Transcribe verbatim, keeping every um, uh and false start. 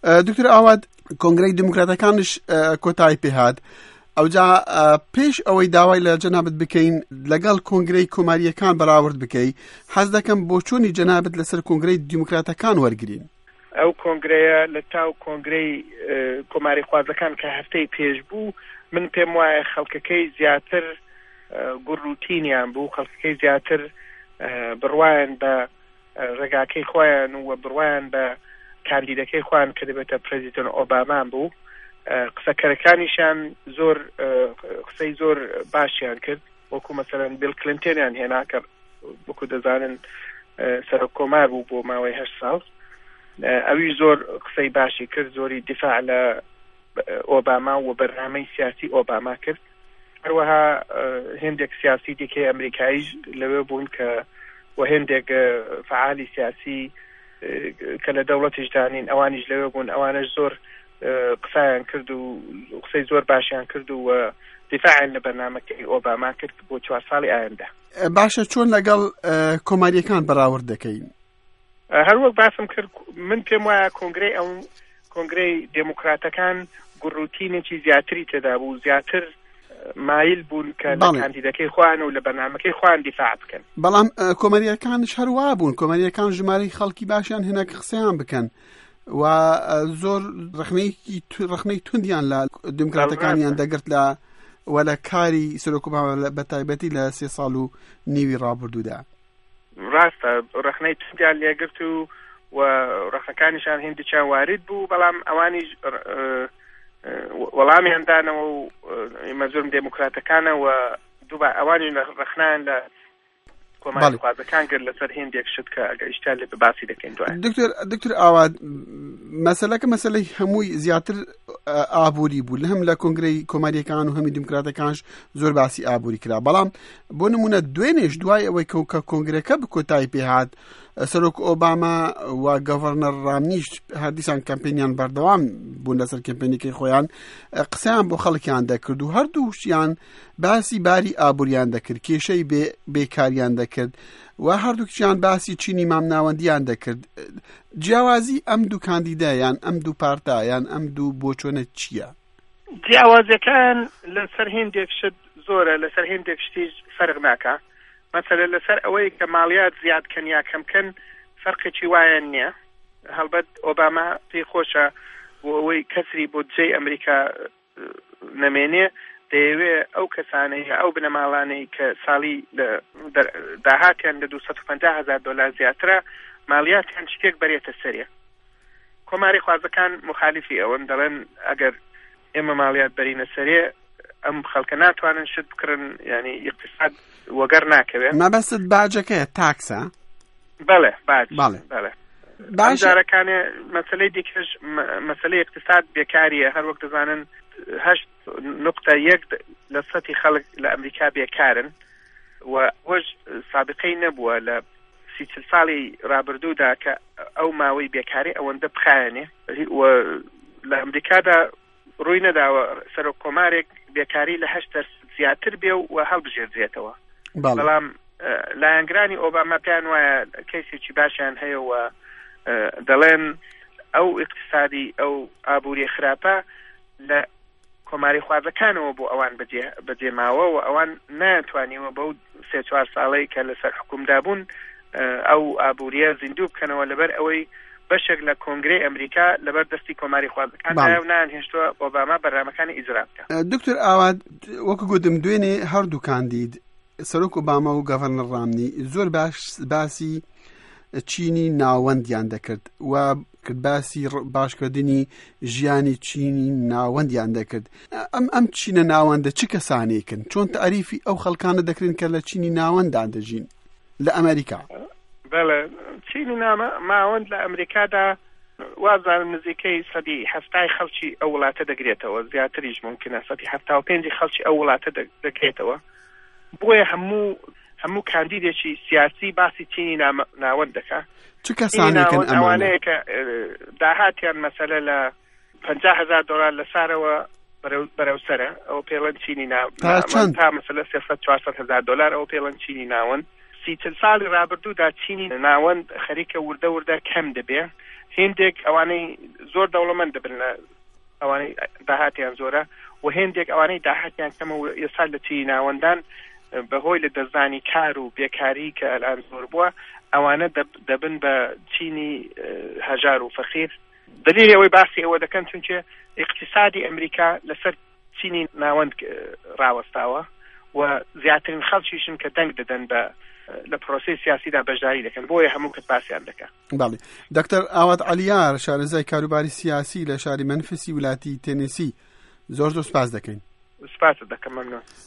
دکتۆر ئاوات، کۆنگرەی دیموکراتەکانش کۆتایی پێهات. ئەوجا پێش ئەوەی داوای لە جەنابت بکەین لەگەڵ کۆنگرەی کۆماریەکان بەراورد بکەی، حەز دەکەم بۆچوونی جەنابت لەسەر کۆنگرەی دیموکراتەکان وەرگین. ئەو کۆنگرەیە لە تاو کۆنگرەی کۆماری خوازەکان کە هەفتەی پێش بوو، من پێم وایە خەڵکەکەی زیاتر گوڕوتینیان بوو، خەڵکەکەی زیاتر بڕوایان بە ڕێگاکەی خۆیان و بڕوایان بە کاندیدەکەی خۆیان کە دەبێتە پرێزیدنت ئۆباما بوو. قسەکەرەکانیشیان زۆر قسەی زۆر باشیان کرد، وەکو مەسەلەن بیل کلینتۆنیان هێنا کە وەکو دەزانن سەرۆک کۆمار بوو بۆ ماوەی هەشت ساڵ، ئەوی زۆر قسەی باشی کرد، زۆری دیفاع لە ئۆباما و بەرنامەی سیاسی ئۆباما کرد. هەروەها هێندێک سیاسی دیکەی ئەمریکاییش لەوێ بوون کە و هێندێک فعالی سیاسی کە لە دەوڵەتیش دانین ئەوانیش لەوێ بوون، ئەوانش زۆر قسەیان کرد و قسەی زۆر باشیان کرد و دیفاعیان لە بەرنامەکەی ئۆباما کرد بۆ چوار ساڵی ئایندە. باشە، چۆن لەگەڵ کۆماریەکان بەراورد دەکەین؟ هەروەک باسم کرد، من پێم وایە کۆنگرەی ئەو کۆنگرەی دێموکراتەکان گوڕوتینێکی زیاتری تێدا بوو، زیاتر مایل بوون کە لە کاندیدەکەی خۆیان و لە بەرنامەکەی خۆیان دیفاع بکەن. بەڵام کۆماریەکانش هەروە بوون، کۆماریەکان ژمارەی خەڵکی باشیان هێنا کە قسەیان بکەن و زۆر ڕەخنەی توندیان لە دیموکراتەکانیان دەگرت لە و لە کاری سەرۆک ئۆباما بە تایبەتی لە سێ ساڵ و نیوی ڕابردوودا. ڕاستە، ڕەخنەی توندیان لێگرت و و ڕەخنەکانیشان هێندێکیان وارد بوو، بەڵام ئەوانیش وەڵامیان دانەوە و مەزورم دێموکراتەکانە و دووبا ئەوانی ڕەخنەیان لە کۆماریخوازەکان کرد لەسەر هێندێک شت کە ئەگەر ئیشتیان لێ باسی دەکەین دوای. دکتۆر دکتۆر ئاوات، مەسەلەکە مەسەلەی هەمووی زیاتر ئابووری بوو، لە هەم لە کۆنگرەی کۆماریەکان و هەمی دیموکراتەکانش زۆر باسی ئابووری کرا. بەڵام بۆ نمونە دوێنێش دوای ئەوەی کە کۆنگرەکە بکۆتایی پێهات، سەرۆک ئۆباما و گەڤەرنەر ڕامنیش هەردیسان کەمپینیان بەردەوام بوون لەسەر کەمپینەکەی خۆیان، قسەیان بۆ خەڵکیان دەکرد و هەردووشیان باسی باری ئابووریان دەکرد، کێشەی بێکاریان دەکرد و هەردووکیان باسی چینی مامناوەندیان دەکرد. جیاوازی ئەم دوو کاندیدا یان ئەم دوو پارتا یان ئەم دوو بۆچۆنە چییە؟ جیاوازیەکان لەسەر هێندێک شت زۆرە، لەسەر هێندێک شتیش فەرق ناکا. مەسەلە لەسەر ئەوەی کە مالیات زیاد کەن یا کەم کەن فەرقێکی وایان نییە. هەڵبەت ئۆباما پێی خۆشە بۆ ئەوەی کەسری بودجەی ئەمریکا نەمێنێ، دەیەوێ ئەو کەسانەی ئەو بنەماڵانەی کە ساڵی داهاتیان لە دوو سەد و پەنجا هەزار دۆلار زیاترە مالیاتیان شتێک بەرێتە سەرێ. کۆماری خوازەکان مخالفی ئەوەن، دەڵێن ئەگەر ئێمە مالیات بەرینە سەرێ ئەم خەڵکە ناتوانن شت بکڕن، ینی اقتصاد وەگەر ناکەوێت. مەبەستت باجەکەیە، تاکسە؟ بەڵێ، باج. بەڵێ. جارەکانێ مەسلەی دیکەش مەسلەی اقتصاد بێکاریە. هەر وەک دەزانن هەشت نقطە یەک لە سەتی خەڵک لە ئەمریکا بێکارن و وەش سابقەی نەبووە لە سی چل ساڵی ڕابردوودا کە ئەو ماوەی بێکاری ئەوەندە بخایەنێ و لە ئەمریکادا ڕووی نەداوە سەرۆک کۆمارێک بێکاری لە هەشت دەرسەد زیاتر بێ و هەڵبژێردرێتەوە. بەڵام لایەنگرانی ئۆباما پێیان وایە کەیسێکی باشیان هەیە و دەڵێن ئەو اقتصادی ئەو ئابووری خراپە لە کۆماری خوازەکانەوە بۆ ئەوان بەجێ ماوە و ئەوان ناتوانیوە بەو سێ چوار ساڵەی کە لەسەر حکومدا بوون ئەو ئابووریە زیندوو بکەنەوە، لەبەر ئەوەی بەشێک لە کۆنگرەی ئەمریکا لەبەر دەستی کۆماری خوازەکان و نان هێشتووە ئۆباما بەرنامەکانی ئیجرا بکە. دکتۆر ئاوات، وەکو گوتم دوێنێ هەردوو کاندید سەرۆک ئۆباما و گەڤەرنەر ڕامنی زۆر باش باسی چینی ناوەندیان دەکرد و باسی باشکردنی ژیانی چینی ناوەندیان دەکرد. ئەم ئەم چینە ناوەندە چ کەسانێکن؟ چۆن تعریفی ئەو خەڵکانە دەکرن کە لە چینی ناوەندان دەژین لە ئەمریکا؟ بەڵێ، چینی ناوەند لە ئەمریکادا وازانم نزیکەی سەدی هەفتای خەڵکی ئەو وڵاتە دەگرێتەوە، زیاتریش ممکنە سەدی هەفتا و پێنجی خەڵکی ئەو وڵاتە دەگرێتەوە. بۆیە هەموو هەموو کاندیدێکی سیاسی باسی چینی ناوەند دەکا. چ کەسانێکن ئەوانەیە کە داهاتیان مەسەلە لە پەنجا هەزار دۆلار لە سارەوە بەرەو سەرە، ئەو پێڵەن چینی ناوەند تا مەسەلە سێ سەد چوار سەد هەزار دۆلار، ئەو پێڵەن چینی ناوەند. سی چل ساڵی ڕابردوودا چینی ناوەند خەریکە وردە وردە کەم دەبێ، هێندێک ئەوانەی زۆر دەوڵەمەند دەبن لە ئەوانەی داهاتیان زۆرە و هێندێک ئەوانەی داهاتیان کەمە و ئێستا لە چینی ناوەندان بەهۆی لە دەستدانی کار و بێکاری کە ئەلان زۆر بووە، ئەوانە دەبن بە چینی هەژار و فەقیر. دەلیلی ئەوەی باسی ئەوە دەکەن چونکێ ئیقتیسادی ئەمریکا لەسەر چینی ناوەند ڕاوەستاوە و زیاترین خەڵکیشن کە دەنگ دەدەن بە لە پرۆسەی سیاسیدا بەشداری دەکەن، بۆیە هەموو کەس باسیان دەکا. بەڵێ دکتەر ئاوات عەلیار، شارەزای کاروباری سیاسی لە شاری مەنفسی ولاتی تێنێسی، زۆر زۆر سپاس دەکەین. سپاست دەکەم، مەمنون.